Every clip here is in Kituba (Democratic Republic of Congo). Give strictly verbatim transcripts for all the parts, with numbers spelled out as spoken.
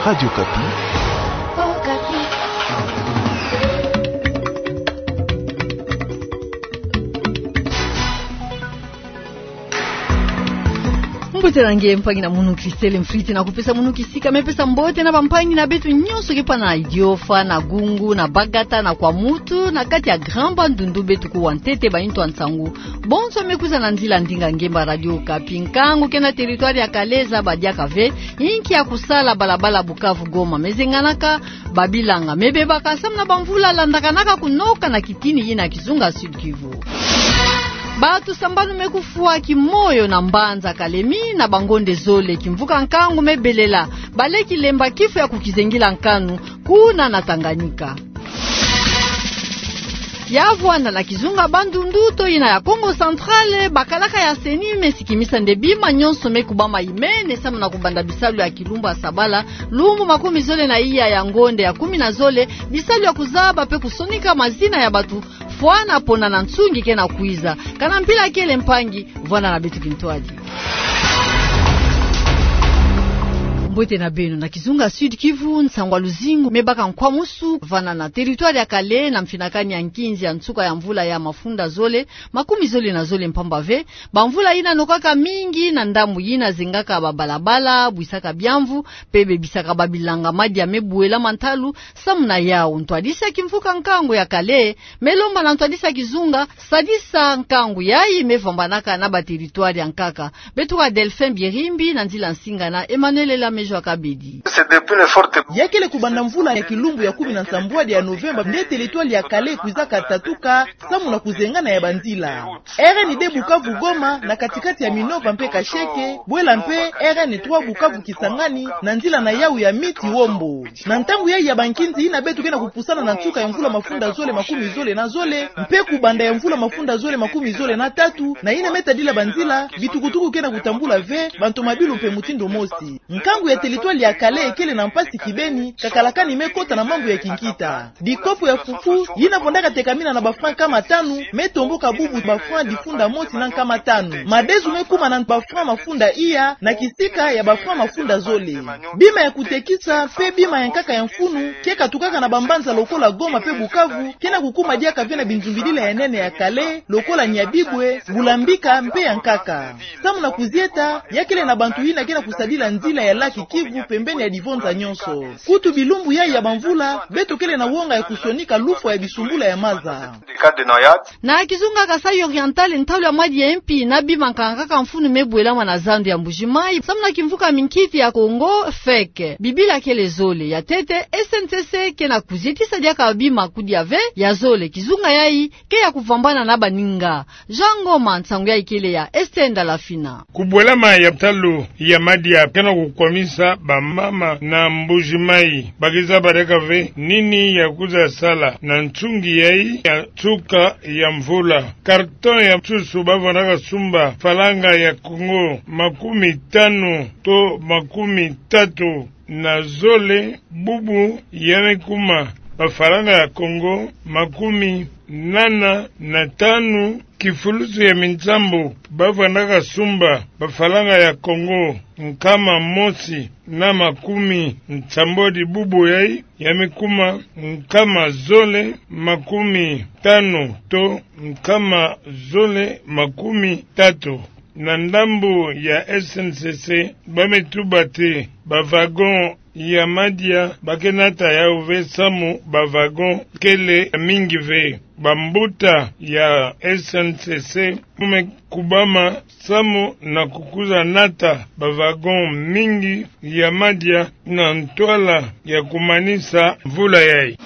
Radio Okapi. Mbote na nge mpangi na munu Christelle Mfriti, na kupesa munu kisika me pesa mbote na bampangi na beto nyonso ke pana Idiofa, na Gungu, na Bagata, na Kwamouth, na kati ya Grand Bandundu, beto kuwa ntete banintu ya nsangu bonso me kwiza na nzila ndinga ngemba Radio Okapi. Nkangu ke na territoire ya Calais, zaba diaka ve, inki ya kusala balabala Bukavu Goma me zenganaka, babilanga me bebaka samu na bamvula landakanaka kunoka na kitini yina kizunga Sud-Kivu. Bato sambanu me kufwa kimoyo na mbanza Kalemi na bangonde zole kimvuka nkangu me belela, baleki lemba kifu ya kukizengila nkanu kuna na Tanganyika. Ya vwanda na kizunga Bandundu to yina ya Kongo Central, bakalaka ya CENI me sikimisa nde bima nyonso me kubama imene samu na kubanda bisalu ya kilumbu ya sabala, lumbu makumi zole na iya ya ngonde ya kumi na zole, bisalu ya kuzaba pe kusonika mazina ya bato fwana pona na nsungi ke na kwiza. Kana mpila kele mpangi, vwanda na beto kintwadi. Mbote na beno. Na kizunga Sud-Kivu, nsangu ya luzingu me baka nkwamusu vwanda na territoire ya Calais na mfinakani ya nkinzi ya nsuka ya mvula ya mafunda zole makumi zole na zole mpamba ve, bamvula yina nokaka mingi na ndambu yina zengaka babalabala, bwisaka biamvu, pe bebisaka babilanga madia me buela ma ntalu. Samu na yau, ntwadisi ya kimvuka nkangu ya Calais me lomba na ntwadisi ya kizunga sadisa nkangu yayi me vwambanaka na baterritware ya nkaka. Beto kuwa Delphin Birimbi na nzila nsinga na Emmanuel Elamejo Akabedi. Ya kele kubanda mvula ya kilumbu ya kumi na nsambwadi ya Novemba nde territoire ya Calais kwizaka tatuka samu na kuzengana ya banzila R N deux Bukavu Goma na katikati ya Minova mpe Kasheke, bwela mpe R N trois Bukavu Kisangani na nzila na yau ya Miti Wombo. Na ntangu yayi ya bankinzi yina beto ke na kupusana na nsuka ya mvula mafunda zole makumi zole na zole, mpe kubanda ya mvula mafunda zole makumi zole na tatu, na yina me tadila banzila, bitukutuku ke na kutambula ve, bantomabilu mpe mutindu mosi. Nkangu ya territoire ya Calais kele na mpasi kibeni, kakalakani me kota na mambu ya kinkita. Dikopo ya fufu, yina vwandaka tekamina na ba francs nkama tanu, me tomboka bubu ba francs difunda mosi na nkama tanu. Madesu me kuma na ba francs mafunda iya, na kisika ya ba francs mafunda zole. Bima ya kutekisa, mpe bima ya nkaka ya mfunu, ke katukaka na bambanza lokola Goma mpe Bukavu, ke na kukuma diaka ve na binzumbidila ya nene ya Calais, lokola Nyabibwe, Bulambika, mpe ya nkaka. Samu na kuzieta, ya kele na bantu yina ke na kusadila nzila ya lac Kivu pembeni ya divonza nyonso. Kutu bilumbu yayi ya bamvula, beto kele na wonga ya kusonika lufwa ya bisumbula ya maza. Na kizunga Kasaï Oriental, ntalu ya madia ya mpi na bima nkaka mfunu me bwelama na zandu ya Mbuji-Mayi, samu na kimvuka minkiti ya Congo, fek. Bibila kele zole. Ya ntete, S N C C ke na kuzietisa diaka bima kudia ve, ya zole, kizunga yayi ke ya kuvambana na baninga. Jean Ngoma, nsangu yayi kele ya Esther Ndalafina. Kubwelama ya ntalu ya madia ke na kukwamisa bamama na Mbuji-Mayi. Ba ke zaba diaka ve nini ya kwiza sala na nsungi yayi ya nsuka ya mvula. Carton ya nsusu ba vwandaka sumba faranga ya Congo makumi tanu to makumi tatu na zole, bubu ya me kuma bafaranga ya Congo makumi nana na tanu. Kifulusu ya minsambu ba vwandaka sumba bafaranga ya Congo nkama mosi na makumi nsambwadi, bubu yayi ya me kuma nkama zole makumi tanu to nkama zole makumi tatu. Na ndambu ya S N C C, ba me tuba ti ba wagon ya madia ba ke nata yau ve samu ba wagon kele mingi ve. Bambuta ya S N C C me kubama samu na kukwiza nata ba wagon mingi ya madia na ntwala ya kumanisa mvula yayi.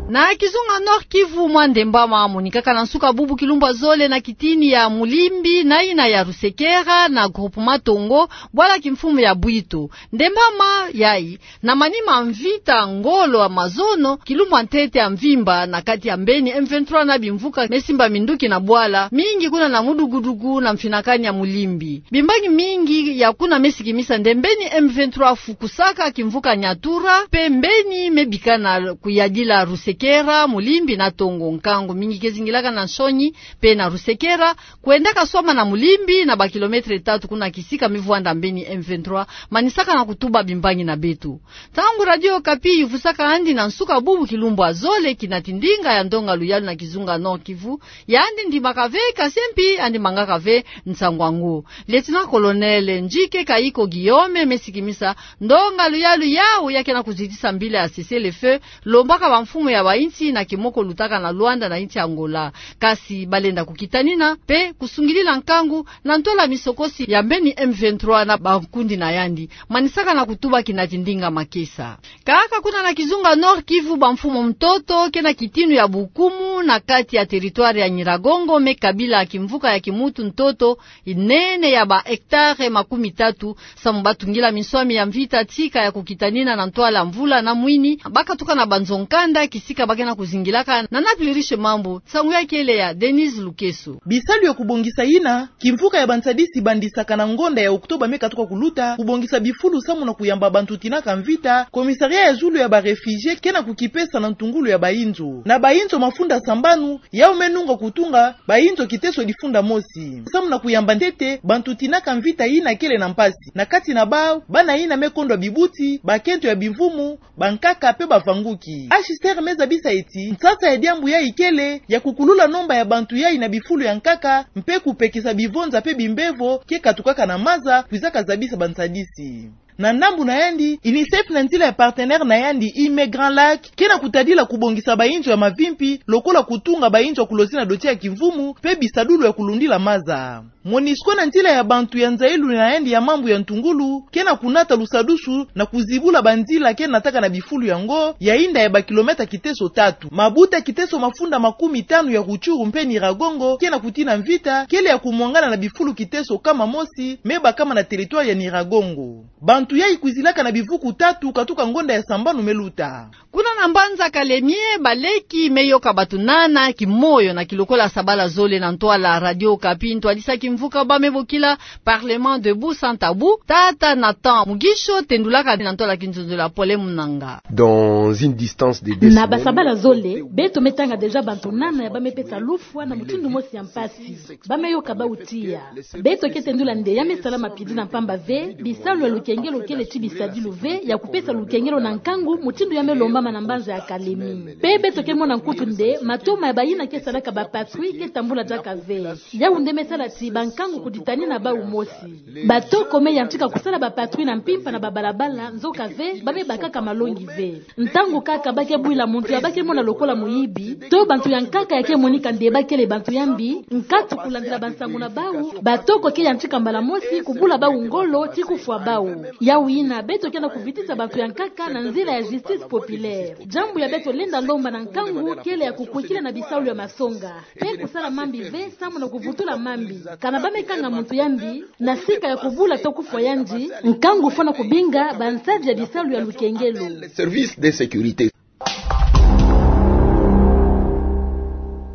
Na kizunga Nord-Kivu, mwa ndembama monikaka na nsuka bubu kilumbu ya zole na kitini ya Mulimbi na yina ya Rusekera na groupement Tongo, bwala kimfumu ya Bwito. Ndembama yayi na manima mvita ngolo ya mazono, kilumbu ya ntete ya mvimba na kati ya mbeni M vingt-trois na bimvuka me simba minduki na bwala mingi kuna na mudugudugu na mfinakani ya Mulimbi. Bimbangi mingi ya kuna me sikimisa nde mbeni M vingt-trois fukusaka kimvuka Nyatura, mpe mbeni me bikana kuyadila Rusekera. Kera, Mulimbi na Tongo. Nkangu mingi ke zingilaka na nsoni pe na Rusekera, kwendaka swama na Mulimbi na ba kilomètre tatu kuna kisika mi vwanda mbeni M vingt-trois manisaka na kutuba bimbangi na beto. Ntangu Radio Okapi yuvusaka yandi na nsuka bubu kilumbu ya zole kinati ndinga ya ndonga luyalu na kizunga Nord-Kivu, yandi ndimaka ve, kasi mpi yandi mangaka ve nsangu yango. Lieutenant-colonel Njike Kayiko Guillaume me sikimisa ndonga luyalu yawu ya ke na kuzitisa mbila ya cessez-le-feu, lombaka bamfumu ya bainsi na kimoko lutaka na Luanda na insi Angola. Kasi balenda kukitanina pe kusungidila nkangu na ntwala misokosi ya mbeni M vingt-trois na bankundi na yandi, manisaka na kutuba kinati ndinga makesa. Kaka kuna na kizunga Nord-Kivu, bamfumu ntoto ke na kitinu ya bukumu na kati ya territoire ya Nyiragongo me kabila kimvuka ya kimuntu ntoto inene ya ba hectare makumi tatu, samu batungila minswami ya mvita tika ya kukitanina na ntwala mvula na mwini, bakatuka na banzo-nkanda kisika ba ke na kuzingilaka. Nana Pluriche Mambu, nsangu ya kele ya Denise Lukeso. Bisalu ya kubongisa yina kimvuka ya bansadisi bandisaka na ngonda ya Octobre me katuka kuluta, kubongisa bifulu samu na kuyamba bantu tinaka mvita, commissariat ya zulu ya ba réfugiés ke na kukipesa na ntungulu ya bainzo. Na bainzo mafunda sambanu, yawu me nunga kutunga bainzo kiteso difunda mosi, samu na kuyamba ntete bantu tinaka mvita yina kele na mpasi. Na kati na bawu, bana yina me kondwa bibuti, bakento ya bimvumu, bankaka pe bavanguki. H C R me zabisa ti nsasa ya diambu yayi kele ya kukulula nomba ya bantu yayi na bifulu ya nkaka, mpe kupekisa bivonza pe bimbevo ke katukaka na maza, kwizaka zabisa bansadisi. Na ndambu na yandi, UNICEF na nzila ya partenaire na yandi, Immigrants Lac, ke na kutadila kubongisa bainzo ya mavimpi, lokola kutunga bainzo ya kulozi na doti ya kimvumu, pe bisadulu ya kulundila maza. MONUSCO na nzila ya bantu ya nzayilu na yandi ya mambu ya ntungulu, ke na kunata lusadusu na kuzibula banzila ke nataka na bifulu yango, ya inda ya ba kilomètre kiteso tatu. Mabuta kiteso mafunda makumi tanu ya Rutshuru mpe Nyiragongo, ke na kutina mvita, kele ya kumwangana na bifulu kiteso kama mosi, me bakama na territoire ya Nyiragongo. Bantu yayi kwizilaka na bivuku tatu katuka ngonda ya sambanu me luta. Kuna na mbanza Kalemie, baleki me yoka bantu nana kimoyo na kilokola sabala zole na ntwala Radio Okapi, ntwadisa kimvuka ba me bokila Parlement Debout Sans Tabou, tata Nathan Mugisho tendulaka na ntwala kinzonzolo ya Pole Munanga. Dans une distance de deux semaines, na basabala zole, beto me tanga déjà bantu nana ya ba me pesa lufwa na mutindu mosi ya mpasi. Ba me yoka bawu tiya. Beto ke tendula nde ya me salama mpidi na mpamba ve, bisalu ya lukengelo kele ti bisadilu ve ya kupesa lukengelo na nkangu mutindu ya me lombama na mbanza ya Kalemie. Mpe beto ke mona nkutu nde matoma ya bayina ke salaka ba patrouille ke tambula diaka ve. Yawu nde me sala ti bankangu kuditanina bawu mosi. Batoko me yantika kusala ba patrouille na mpimpa na babalabala, nzoka ve, ba me bakaka malongi ve. Ntangu kaka ba ke bwila muntu ya ba ke mona lokola muyibi, to bantu ya nkaka ya ke monika nde ba kele bantu ya mbi, nkatu kulandila bansangu na bawu, batoko ke yantika mbala mosi kubula bawu ngolo ti kufwa bawu. Yawu yina, beto ke na kuvitisa bantu ya nkaka na nzila ya justice populaire. Diambu ya beto lenda lomba na nkangu kele ya kukwikila na bisalu ya masonga. Mpe kusala mambi ve samu na kuvutula mambi. Kana ba me kanga muntu ya mbi, na sika ya kubula to kufwa yandi, nkangu fwana kubinga bansadi ya bisalu ya lukengelo. Service de sécurité.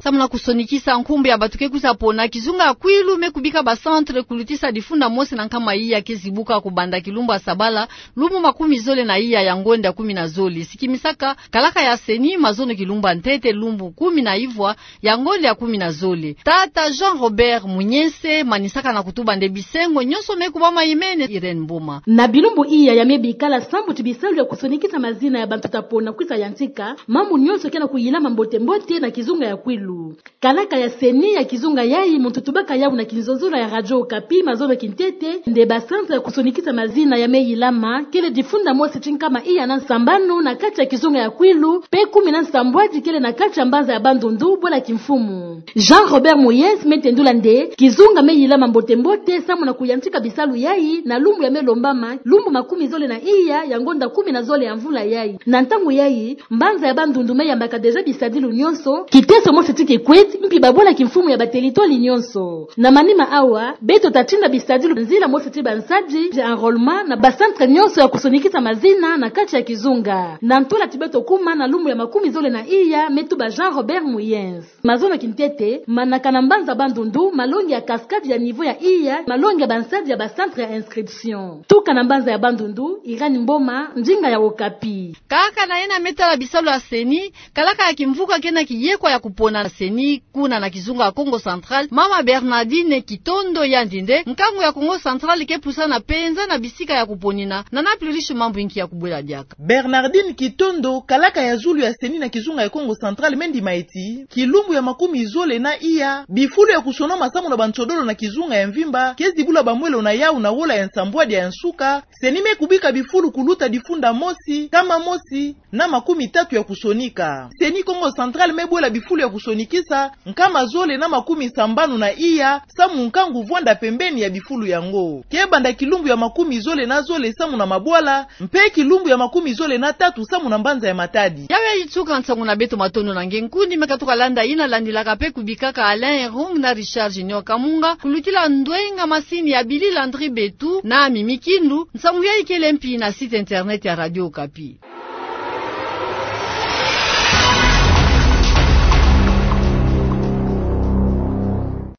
Samu na kusonikisa nkumbu ya bantu ke kwiza pona, kizunga ya Kwilu me kubika ba centre kulutisa difunda mosi na nkama iya ke zibuka kubanda kilumbu ya sabala, lumbu makumi zole na iya ya ngonda kumi na zole. Sikimisaka kalaka ya CENI mazono kilumbu ya ntete, lumbu kumi na ivwa ya ngonda ya kumi na zole. Tata Jean-Robert Munyese manisaka na kutuba nde bisengo nyonso me kubama imene. Irène Mboma. Na bilumbu iya ya me bikala, sambu ti bisalu ya kusonikisa mazina ya bantu ta pona kwisa yantika, mambu nyonso ke na kuyilama mbote-mbote na kizunga ya Kwilu. Kalaka ya CENI ya kizunga yayi, muntu tubaka yawu na kinzonzolo ya Radio Okapi mazono kintete, nde ba centre ya kusonikisa mazina ya me yilama kele difunda mosi ti nkama iya na nsambanu na kati ya kizunga ya Kwilu, mpe kumi na nsambwadi kele na kati ya mbanza ya Bandundu, bwala kimfumu. Jean-Robert Munyese me tendula nde kizunga me yilama mbote-mbote samu na kuyantika bisalu yayi na lumbu ya me lombama, lumbu makumi zole na iya ya ngonda kumi na zole ya mvula yayi. Na ntangu yayi, mbanza ya Bandundu me yambaka déjà bisadilu nyonso, kiteso mosi ti Kikwit, mpi babwala kimfumu ya batelitwali nyonso. Na manima awa, beto tatinda bisadilu nzila mosi ti bansadi bia enrôlement na bacentre nyonso ya kusonikisa mazina na kati ya kizunga. Na ntwala ti beto kuma na lumbu ya makumi zole na iya, me tuba Jean Robert Muyens. Mazono kintete, manaka na mbanza Bandundu, malongi ya cascade ya niveau ya iya, malongi ya bansadi ya bacentre ya inscription. Tuka na mbanza ya Bandundu, Irène Mboma, ndinga ya Okapi. Kaka na yena me tala bisalu ya CENI, kalaka ya kimvuka ke na kiyekwa ya kupona na CENI, kuna na kizunga ya Kongo Central, mama Bernardine Kitondo yandi nde, nkangu ya Kongo Central ke pusana penza na bisika ya kuponina, na na plurish mambu inki ya kubwela diaka. Bernardine Kitondo, kalaka ya zulu ya CENI na kizunga ya Kongo Central, me ndima ti, kilumbu ya makumi zole na iya, bifulu ya kusonoma samu na bansodolo na kizunga ya mvimba, ke zibula bamwelo na yau na wola ya nsambwadi ya nsuka, CENI me kubika bifulu kuluta difunda mosi, nkama mosi, na makumi tatu ya kusonika. CENI Kongo Central me bwela bifulu ya kusonikisa, nkama zole na makumi sambanu na iya, samu nkangu vwanda pembeni ya bifulu yango. Ke banda kilumbu ya makumi zole na zole samu na mabwala, mpe kilumbu ya makumi zole na tatu samu na mbanza ya Matadi. Yawu ya ituka nsangu na beto, matondo na nge nkundi me katuka landa yina landilaka mpe kubikaka Alain Erung na Richard Junior Kamunga, kulutila ndwenga masini ya Billy Landry Betu na Mimi Kindu, nsangu yayi kele mpi na site internet ya Radio Okapi.